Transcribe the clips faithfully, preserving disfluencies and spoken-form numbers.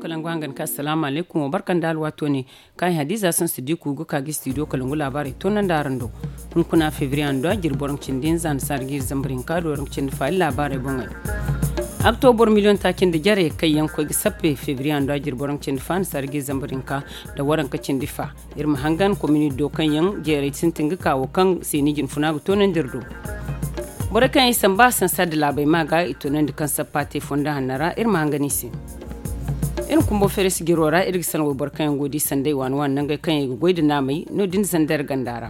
Kalangu hangan ka asalaamu alaykum wa barka nda alwaato ne. Kaŋ ay hadiza sansi diku ga ka ga studio kalangu laabaarey toonandi araŋ do. Hunkuna febriye ando a jirbi waraŋ cindi hinza nda saara ga iri zambar hinka da waraŋ cindi fa iri laabaarey boŋey. Aktobor miliyoŋ taaci nda jare kaŋ yaŋ koy ga sappe febriye ando a jirbi waraŋ cindi fa nda saara ga iri zambar hinka da waraŋ ka cindi fa. Iri ma hangan komini do kaŋ yaŋ jeeray sintin ga ka wo kaŋ seeni jinfuna ga toonandi iri do. Borey kaŋ yaŋ i samba sansa da laabey ma ga i toonandi kaŋ sappa te fondo hanno ra iri ma hangan i se. Iri kumbo feere sijiro ra iri ga sanda wayboro kaŋ yaŋ go ga di sanday waani waani nangey kaŋ yaŋ i ga goy nda naamey no- din zandar ganda ra.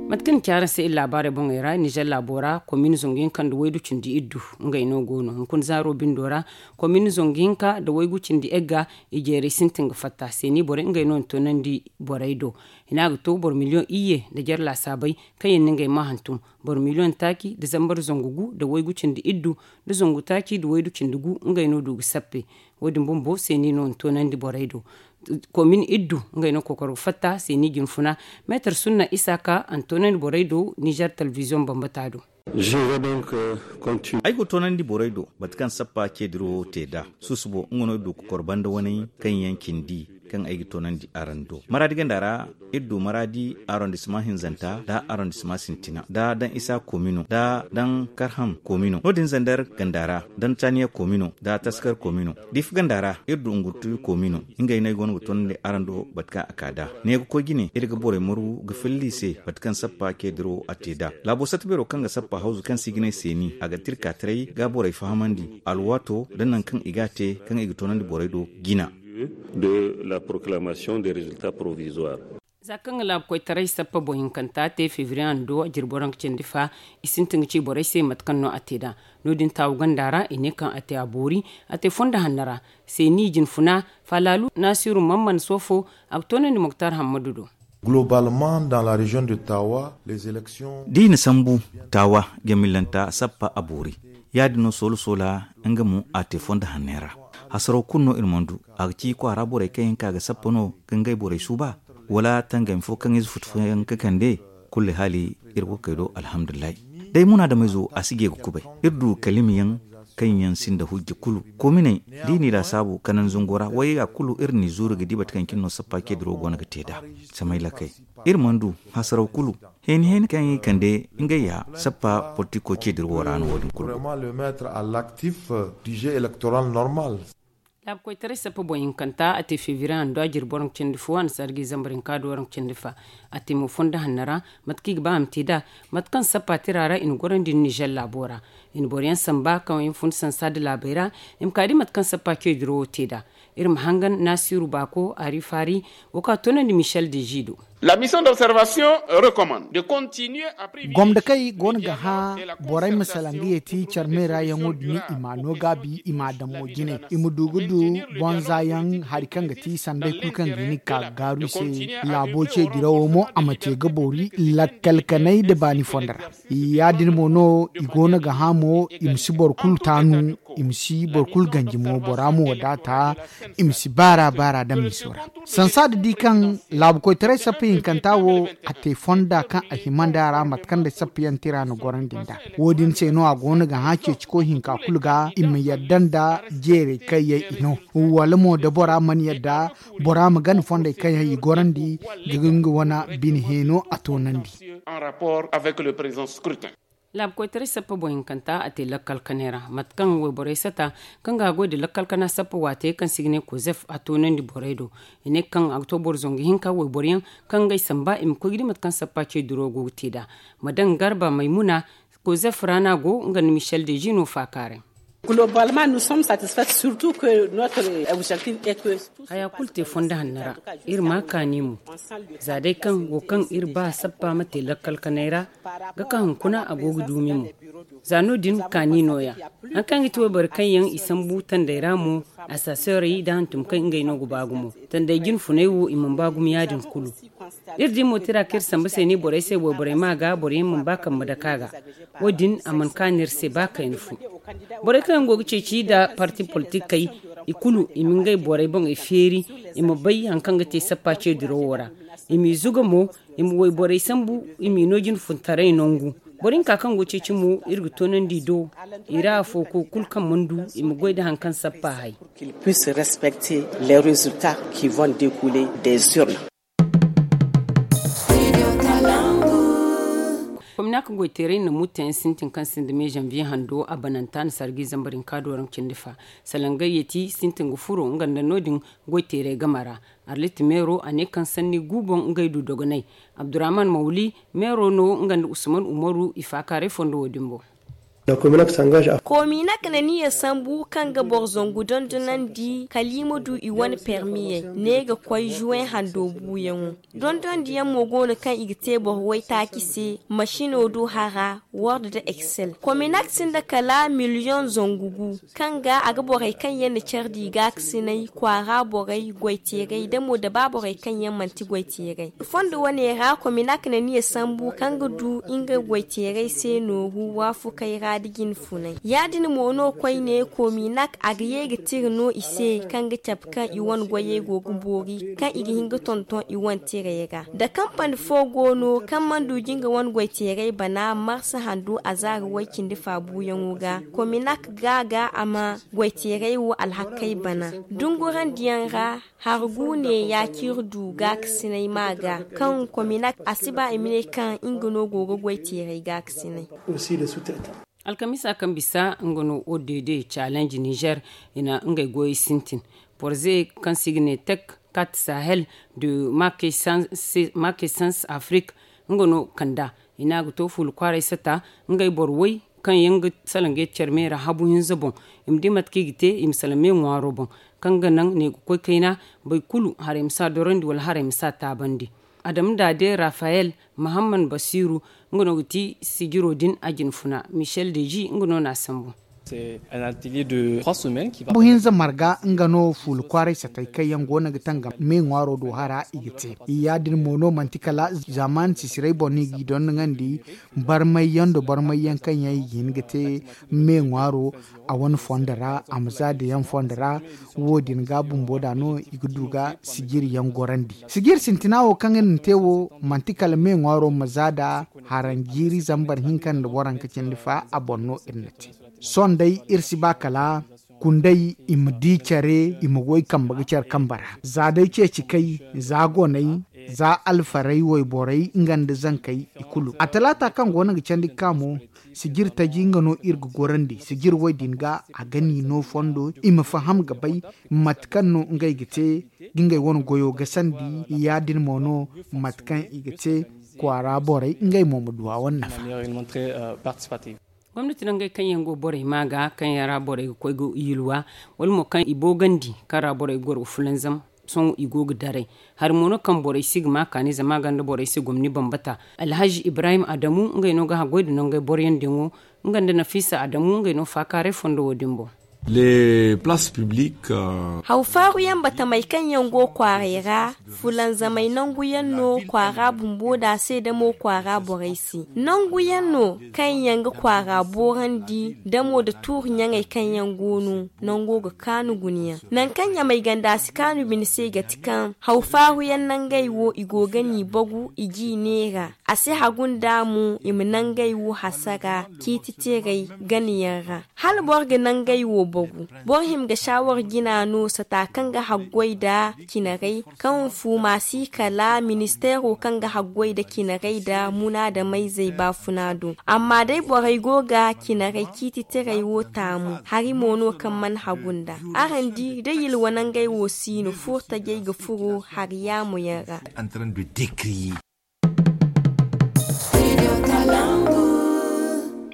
Mate kaŋ ni ci araŋ se iri laabaarey boŋey ra nizer laabo ra komini zangu hinka nda waygu cindi iddu ngey no go no hunkuna zaaro bindo ra. Komini zangu hinka nda waygu cindi egga i jeeray sintin ga fatta seeni borey ngey no na toonandi borey do. Hina ga to boro miliyoŋ iyye nda jare laasaabey kaŋ yaŋ na ngey ma hantum. Boro miliyoŋ taaci nda zambar zangu gu nda waygu cindi iddu nda zangu taaci nda waygu cindi gu ngey no du ga sappe. Wo- din bumbo seeni no na toonandi borey do. Komin iddu ngey no kokoro ga fatta seeni jinfuna. Meetar sunna isaaka a na toonandi borey do nizer telebiziyoŋ bambata do. Ay go toonandi borey do mate kaŋ sappa ceediro te nd'a. Susubo nga no du ga kor banda waney kaŋ yaŋ cindi kaŋ ay ga toonandi araŋ do maraadi ganda ra. Iri du maraadi arondisma hinzanta nda arondisma sintina nda daŋ isa komino nda daŋ karham komino no- din zandar ganda ra daŋ taniya komino nda taskar komino. Difa ganda ra iri du ngurtu komino. Ngey no ay go no ga toonandi araŋ do mate kaŋ a ka nd'a. Ne ga koy jine iri ga borey margu ga filla i se mate kaŋ sappa ceediro a te nd'a. Laabo satta beero kaŋ ga sappa hawzu kaŋ se i ga ne seeni a ga tirka taray ga borey fahamandi alwaato nda nangu kaŋ i ga a te kaŋ i ga toonandi borey do jina. De la proclamation des résultats provisoires. Za kaŋ ga laabu koytaray sappa boŋ hinkanta te febriye hando a jirbi waraŋ ga cindi fa. I sintin ga ci borey se mate kaŋ no a te nd'a. No- din taawu ganda ra i ne kaŋ a te a boori. A te fondo hanno ra seeni jinfuna. Falaalu naasiru mamman soofo a ga toonandi moktar hammadu do. Globalement dans la région de tawa les élections. Da i na sambu tawa jamillanta sappa a boori. Ya- din no soola soola nga mo a te fondo hanney ra. Hasaraw kulu no iri mana du. A ga ci kwaara borey kaŋ yaŋ ka ga sappa no ga ngey borey suuba wala tangami fo kaŋ ize futu fo yaŋ ga kande. Kulu haali iri go ga kay do alhamdulillahi. Day munaadameyzo a si je ga kubay. Iri du kalimyaŋ kaŋ yaŋ sinda hujja kulu. Kominey da i n'i laasaabu kanan zango ra wayey ga kulu iri n'i zuuru ga di mate kaŋ cine no sappa ceediro go no ga te nd'a. Samay lakkey iri mana du hasaraw kulu. Heeni heeni kaŋ i kande ngey ya sappa politiko ceediro wo ra no wo- din kulu go. Laabu koytaray sappa boŋ hinkanta a te febriye hando a jirbi waraŋ cindi fo a na saara ga i zambar hinka da waraŋ cindi fa. A te mo fondo hanno ra. Mate kaŋ i ga ba a ma te nd'a mate kaŋ sappa tira ra i na gorandi nda nizer laabo ra. I na boro yaŋ samba kaŋ yaŋ fun sansa nda laabey ra. I ma ka di mate kaŋ sappa ceediro wo te nd'a. Iri ma hangan naasiru baako ari faari wo ka toonandi michel de ji do. La mission d'observation recommande de continuer à privilégier gomdakey go no ga hã borey ma salaŋ ga yeeti care meera yaŋo din i ma no gaabi i ma a daŋ mo jine i ma du ga du bonza yaŋ hari kaŋ ga ti sanday kulu kaŋ ga hin ga ka ga gaaru i se. Laabo ce dirawo mo a ma te ga boori lakkal kanay nda baani fondo ra. Ya- din mo no i go no ga hã mo i ma si boro kulu taanu. I ma si boro kulu ganji mo bora mo wadaata. I ma si baara baara daŋ miso ra. Sansa da di kaŋ laabu koytaray sappa hinkanta wo a te fonda kaŋ a hima nd'a ra mate kaŋ day sappa yaŋ tira na gorandi nd'a. Wo- din se no a go no ga hã ceeciko hinka kulu ga i ma yadda nda jeeray kaŋ yaŋ i no. Wala mo da bora mana yadda bora ma gana fondey kaŋ yaŋ i gorandi ga nga wane bine heeno a toonandi. Laabu koytaray sappa boŋ hinkanta a te lakkal kanay ra mate kaŋ wayborey sata kaŋ ga goy nda lakkal kana sappa waate kaŋ se i ga ne kozef a toonandi borey do. I ne kaŋ a ga to boro zangu hinka wayboro yaŋ kaŋ ngey samba i ma koy ga di mate kaŋ sappa ce duro go ga te nd'a. Madam garba maymuna kozef ra no a go nga nda michel de jino faakaaray. Haya kulu te fondo hanno ra. Iri ma kaani mo za day kaŋ wo kaŋ iri ba sappa ma te lakkal kanay ra ga ka hunkuna a go ga duumi mo. Za no- din kaani nooya. Hari kaŋ ga ti wayboro kaŋ yaŋ i sambu tandey ra mo, asaseerey nda hantum kaŋ ngey no ga ba gumo. Tandey jine funay wo i mana ba gumo ya- din kulu. Iri di mo tira kaŋ iri samba se ne borey se wayborey ma ga boro yaŋ mana ba kambe dake a ga. Wo- din a mana kaanu iri se ba kayna fo. Borey kaŋ yaŋ go ga ceeci nda parti politikey i kulu i ma ngey borey boŋey feeri. I ma bay hari kaŋ ga te sappa ce dirawo ra. I m'i zuga mo. I ma wayborey sambu i m'i no jine funtaray nangu. Boro hinka kaŋ go ceeci mo, iri ga toonandi do i ra afo ko kulu kaŋ mana du i ma goy nda hari kaŋ sappa hay. Puisse respecter les résultats qui vont découler des urnes. Komina ka goyteeray na mutayaŋ sintin kaŋ sinda me janvier hando a bananta na sargi zambar hinka do raŋ cindi fa. Salangay yeti sintin ga furo nga nda no- din goyteeray game ra. Arlit meero a ne kaŋ sanni gu boŋ ngey du dogonay. Abdurrahman mawli meero no nga nda usman umaru i faakaaray fondo wo- din boŋ. Kominak na niya sambu kaŋ ga boro zangu dondonandi kala i ma du i wane permiyey ne ga koy juwen hando buuyaŋo. Dondonandiyaŋ mo go no kaŋ i ga te boro waytaaci se, masino do hara, word nda excel. Kominak sinda kala miliyoŋ zangu gu kaŋ ga a ga borey kaŋ yaŋ na care di gaakasinay, kwaara borey, goyteerey nda mo da ba borey kaŋ yaŋ manti goyteerey. Fondo wane ra kominak na niya sambu kaŋ ga du nga goyteerey se nooru waafukey ra nda jinfunay. Ya- din mo no koyne kominak a ga ye ga tira no i se kaŋ ga cabe kaŋ i wane goyey go ga boori kaŋ i ga hin ga tonton i wane tirey ra. Da kampani fo go no kaŋ mana du jinga wane goyteerey bana marsa handu a zaari way- cindi fa buuyaŋo ga, kominak ga ga a ma goyteerey wo alhakey bana dungurandiyaŋ ra. Hargu ne ya ciri du gaakasinay ma ga kaŋ kominak a si ba i ma ne kaŋ nga no go ga goyteerey gaakasinay. Alkamisa kaŋ bisa nga no odd challenge niger i na ngey goyey sintin. Porze kaŋ se i ga ne tek kat sahel de marquesans afrique nga no kanda i ne a ga to fuula kwaaray sata ngey boro way kaŋ yaŋ ga salaŋ ga care me ra habu hinza boŋ. I ma di mate kaŋ i ga te i ma salaŋ me ŋwaaro boŋ kaŋ ga naŋ ne ga koy kayna boro kulu haray ma si a dorandi wala haray ma si a taabandi. Adama daade rafayel mahamman basiru nga no ga ti sijiro din a jinfuna michel deji nga no no a sambu. Buhinza marga nga no fuula kwaaray satay kaŋ yaŋ go no ga tangam me ŋwaaro do hara i ga te. Ya- din mo no manti kala zaaman sisiray boŋ no i g'i dondoŋandi barmay yaŋ nda barmay yaŋ kaŋ yaŋ i ga hin ga te me ŋwaaro a wane fondo ra a ma za da yaŋ fondo ra. Wo- din ga bumbo da no i ga du ga sijiri yaŋ gorandi sijiri sintina wo kaŋ iri na te wo manti kala me ŋwaaro ma za da haranjiiri zambar hinka nda waranka cindi fa a boŋ no iri na te. Sohõ day iri si ba kala kunday i ma di care i ma goy kambe ga care kambe ra za day ceeci kay za goney za alfarey wayborey nga nda zankey i kulu a talaata kaŋ go no ga candi ga ka mo. Sijir taji nga no iri ga gorandi sijir way din ga a ga ni no fondo i ma faham ga bay mate kaŋ no ngey ga te ga ngey wane goyo gasandi ya- din mo no mate kaŋ i ga te kwaara borey ngey mo ma du a wane nafa. Gomnati nangey kaŋ yaŋ go borey ma ga kaŋ yaŋ ra borey ga koy ga yulwa wala mo kaŋ i boogandi kaŋ ra borey ga goro ga fulanzam. Sohõ i go ga daray hari mo no kaŋ borey si ga ma kaani zama a gonda borey se gomni bambata. Alhazi ibrahim adamu ngey no ga haggoy nda nangey boroyaŋ diyaŋo nga nda nafisa adamu ngey no faakaaray fondo wo- din boŋ. Haw faaru yaŋ batamey kaŋ yaŋ go kwaaray ra fulanzamey nangu yaŋ no kwaara bumbo da se damo kwaara borey se nangu yaŋ no kaŋ yaŋ ga kwaara boorandi damo nda tuuri ɲaŋey kaŋ yaŋ go no nango ga kaanu guna yaŋ. Nangu kaŋ ɲamey ganda si kaanu bine se ga ti kaŋ haw faaru yaŋ nangey wo i go ga n'i bagu i j'i neera a si hagu nda mo i ma nangey wo hasara ciiti teerey gana yaŋ ra. Hala boro ga nangey wo bagu boro hima ga saawar jina no sata kaŋ ga haggoy nda cinarey kaŋ fuuma si kala ministeero kaŋ ga haggoy nda cinarey nda munaadamayzey baafuna do. Amma day borey go ga cinarey ciiti teerey wo taamu hari mo no kaŋ mana hagu nda araŋ di da yilwa nangey wo si no furtajey ga furo hari yaamu yaŋ ra.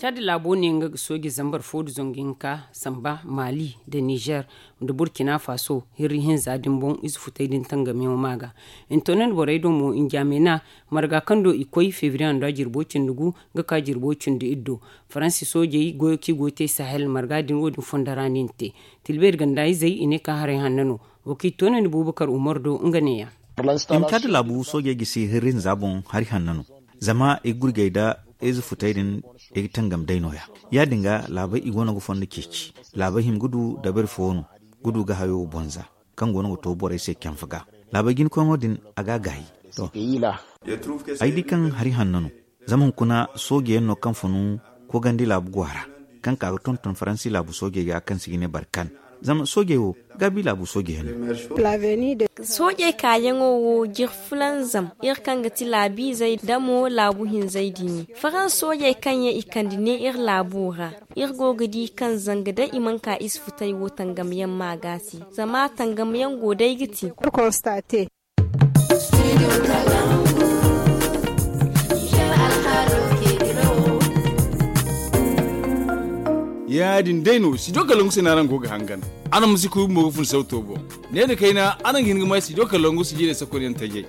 Caadi laabo ne nga ga sooji zambar fo nda zangu hinka samba maali nda nizer nda burkina faso hirri hinza din boŋ ize futey din tangamyaŋo ma ga. Intonen borey do mo njaamena marga kaŋ do i koy febriye hando a jirbo cindi gu ga ka jirbo cindi iddo. Faransi soojey goyo kaŋ i go ga te sahel marga din wo- din fondo ra no i na te. Tilbeeri ganda izey i ne ka haray hanno no. Wo kaŋ i toonandi bubakar umar do nga neeya. I ma caadi laabu soojey gisi hirri hinza boŋ hari hanno no. Zama i ga gurjay nda ize futey din i ga tangam day nooya. Ya- din ga laabey i go no ga fondo ceeci. Laabey hima ga du dabari fo no ga du ga hayo bonza kaŋ go no ga to borey se canfa ga. Laabey jinkoyŋo din a ga a gaayi. To ay di kaŋ hari hanno no. Zama hunkuna sooje yaŋ no kaŋ funu koogandi laabu go a ra, kaŋ ka ga tonton faransi laabu soojey ga kaŋ se i ga ne barkan. Zama soojey wo gaabi laabu sooje yaŋ no. Soojey kaayaŋo wo jiri fulanzam iri kaŋ ga ti laabiizey nda mo laabu hinzey din. Farans soojey kaŋ yaŋ i kande ne iri laabo ra, iri go ga di kaŋ zanga day i mana ka isfutay wo tangamyaŋ ma ga se. Zama tangamyaŋ go day ga ti. Ya- din day no sijo kalangu se no araŋ go ga hangan. Araŋ ma si kuy bumbo ga fun sawto boŋ. Ne nda kayna araŋ ga hin ga may sijo kalangu sijirey sakonyaŋ tajey.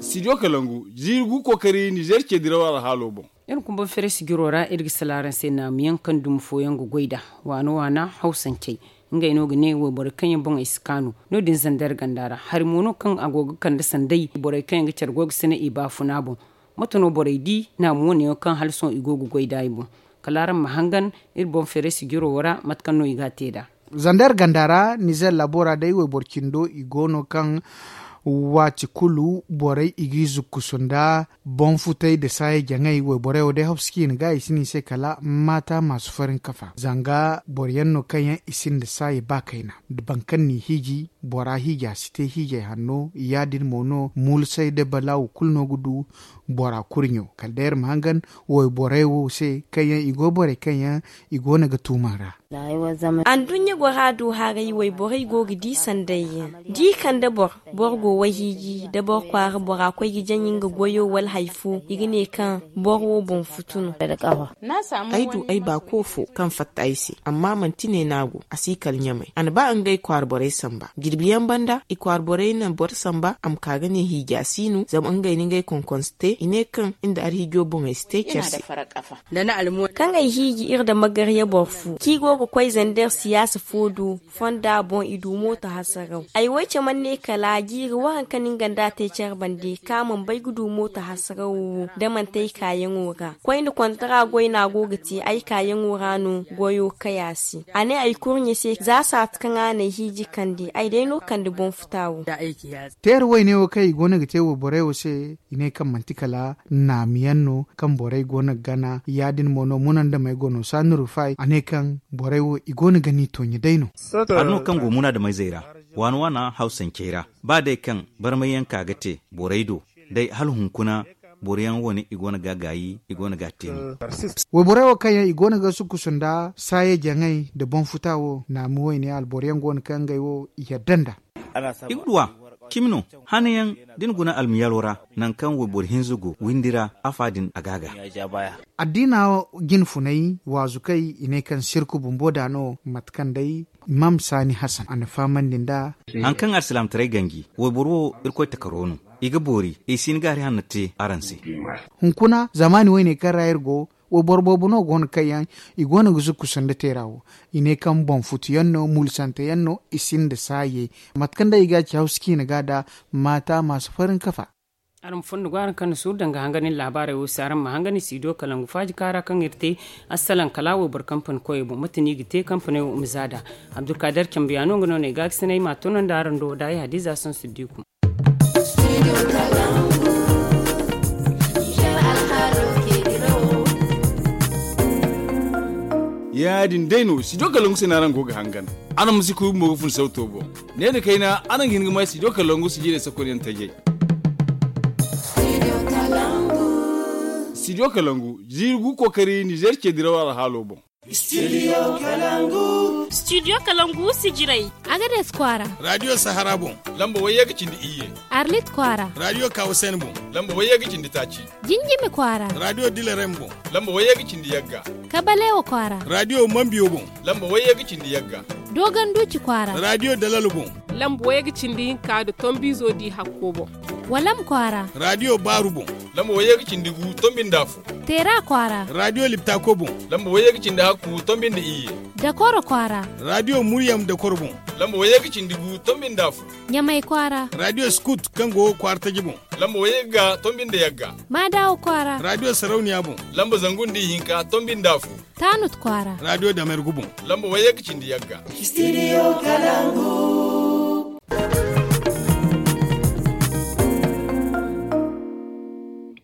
Sijo kalangu, ziiri gu kookari nizer ce diraw alhaalo boŋ. Iri kumba fere sijiro ra iri ga sala araŋ se naamuyaŋ kaŋ dumi fooyaŋ ga goy nd'a. Waana waana hawsancey, ngey no ga ne wayborey kaŋ yaŋ boŋey si kaanu. No- din zandar ganda ra hari mo no kaŋ a go ga kande sanday borey kaŋ yaŋ ga care goy ga sina i baafuna boŋ. Mate no borey di naamu wane yaŋ kaŋ hala sohõ i go ga goy nd'a i boŋ? Kala araŋ ma hangan iri boŋ fere sijiro wo ra mate kaŋ no i ga a te nd'a. Zandar ganda ra nizer laabo ra day wayboro cindo i go no kaŋ waati kulu borey i g'i zukkusu nda boŋ futay nda saaya jaŋay wayborey wo day hopsi kaŋ i na ga i si no i se kala maata maasu farin kafa zanga boro yaŋ no kaŋ yaŋ i sinda saaya ba kayna. Boro kaŋ n'i hiiji bora hiija si te hiijay hanno ya- din mo no muulsay nda balaawu kulu no ga du bora kurɲo kala day iri ma hangan wayborey wo se kaŋ yaŋ i go borey kaŋ yaŋ i go no ga tuuman ra. Anduɲɲa gora do haray wayborey go ga di sanday yaŋ da i kande boro boro go wayhiiji da boro kwaara bora koy ga jaŋ nga goyo wala hari fo i ga ne kaŋ boro wo boŋ futu no. Ay du ay baako fo kaŋ fatta ay se amma manti ne no a go a si kala ɲamay a na ba ngey kwaara borey samba jirbi yaŋ banda i kwaara borey na boro samba a ma ka ga ne hiija si no zama ngey na ngey konkonse te i ne kaŋ nda arhiijo boŋey si te care se. Kaŋ ay hiiji iri nda magarya boro fo kaŋ i go ga koy zander siyaasa fo do fonda boŋ i du mooto hasaraw ay wo ay caman ne kala jiiri waranka no nga nda a te care bande kaŋ a mana bay ga du mooto hasarawo wo da manti ay kaayaŋo ra koyne kontara goy no a go ga te ay kaayaŋo ra no goyo kay a se a ne ay kurɲe se za saati kaŋ a n'ay hiiji kande ay day no kande boŋ futa wo. Teera wayne wo kaŋ i go no ga te wayborey wo se i ne kaŋ manti kala naamu yaŋ no kaŋ borey go no ga gana ya- din mo no munandamey go no saani rufay a ne kaŋ borey wo i go no ga ni tooɲe day no. Hari no kaŋ go munaadameyzey ra waana waana hawsancey ra ba day kaŋ barmay yaŋ ka ga te borey do day hala hunkuna boro yaŋ wane i go no ga a gaayi i go no ga a te no. Wayborey wo kaŋ yaŋ i go no ga sukusu nda saaya jaŋay nda boŋ futa wo naamu wayne alboro yaŋ go no kaŋ ngey wo i yadda nd'a. I ga duw'a cimi no hane yaŋ da ni guna almiyalo ra nangu kaŋ wayboro hinza go windi ra afa din a ga a ga. Addiina jine funay waazu kay i ne kaŋ sirku bumbo da no mate kaŋ day imam saani hasan a na fahamandi nd'a. Hari kaŋ alsilaamataray ganji wayboro wo irkoy takaro no i ga boori i si hin ga hari hanno te araŋ se. Hunkuna zamaani woyne kaŋ ra iri go wayboro boobo no go no kaŋ yaŋ i go no ga zukkusu nda teera wo i ne kaŋ boŋ futu yaŋ no mulisante yaŋ no i sinda saaye mate kaŋ day i ga a ci hawsu ciina ga da maata maasu farin kafa. Araŋ ma fondo go araŋ kaŋ na suuru danga hangan iri laabaarey wo se araŋ ma hangan iri si do kalangu faaji kaara kaŋ iri te assalaŋ kala wayboro kampani koyey boŋ mate no i ga te kampaney wo ma za da abdulkaadir cambiyaano nga no no ay ga a ga sinay ma a tono nda araŋ do da ay hadiza saŋ siddiku. Ya- din day no studio kalangu se no araŋ go ga hangan. Araŋ ma si kuy bumbo ga fun sawto boŋ. Ne nda kayna araŋ ga hin ga may studio kalangu sijirey sakonyaŋ tajey. Studio kalangu ziiri gu kookari nizer ce diraw alhaalo boŋ. Studio kalangu. Studio kalangu sijirey. Agades kwaara. Radio sahara boŋ. Lamba wayye ga cindi iyye. Arlit kwaara. Radio kawasen boŋ. Lamba wayye ga cindi taaci. Jinjimi kwaara. Radio dilerem boŋ. Lamba wayye ga cindi yagga. Kabalewa kwaara. Radio mambiyo boŋ. Lamba wayye ga cindi yagga. Dogon duci kwaara. Radio dalalo boŋ. Lamba wayye ga cindi hinka da tombizo di hakko boŋ. Walam kwaara. Radio baaru boŋ. Lamba wayye ga cindi gu tombinda fo. Teera kwaara. Radio liptako boŋ. Lamba wayye ga cindi hakku tombinda iyye. Dakoro kwaara. Radio muryam dakoro boŋ. Lamba wayye ga cindi gu tombinda fo. Ɲamay kwaara. Radio skut kaŋ go kwaara taji boŋ. Lamba wayye ga tombi nda yagga. Maadawa kwaara. Radio sarauniya boŋ. Lamba zangu nda ihinka tombi nda afo. Taanut kwaara. Radio damergu boŋ. Lamba wayye ga cindi yagga. Studio kalangu.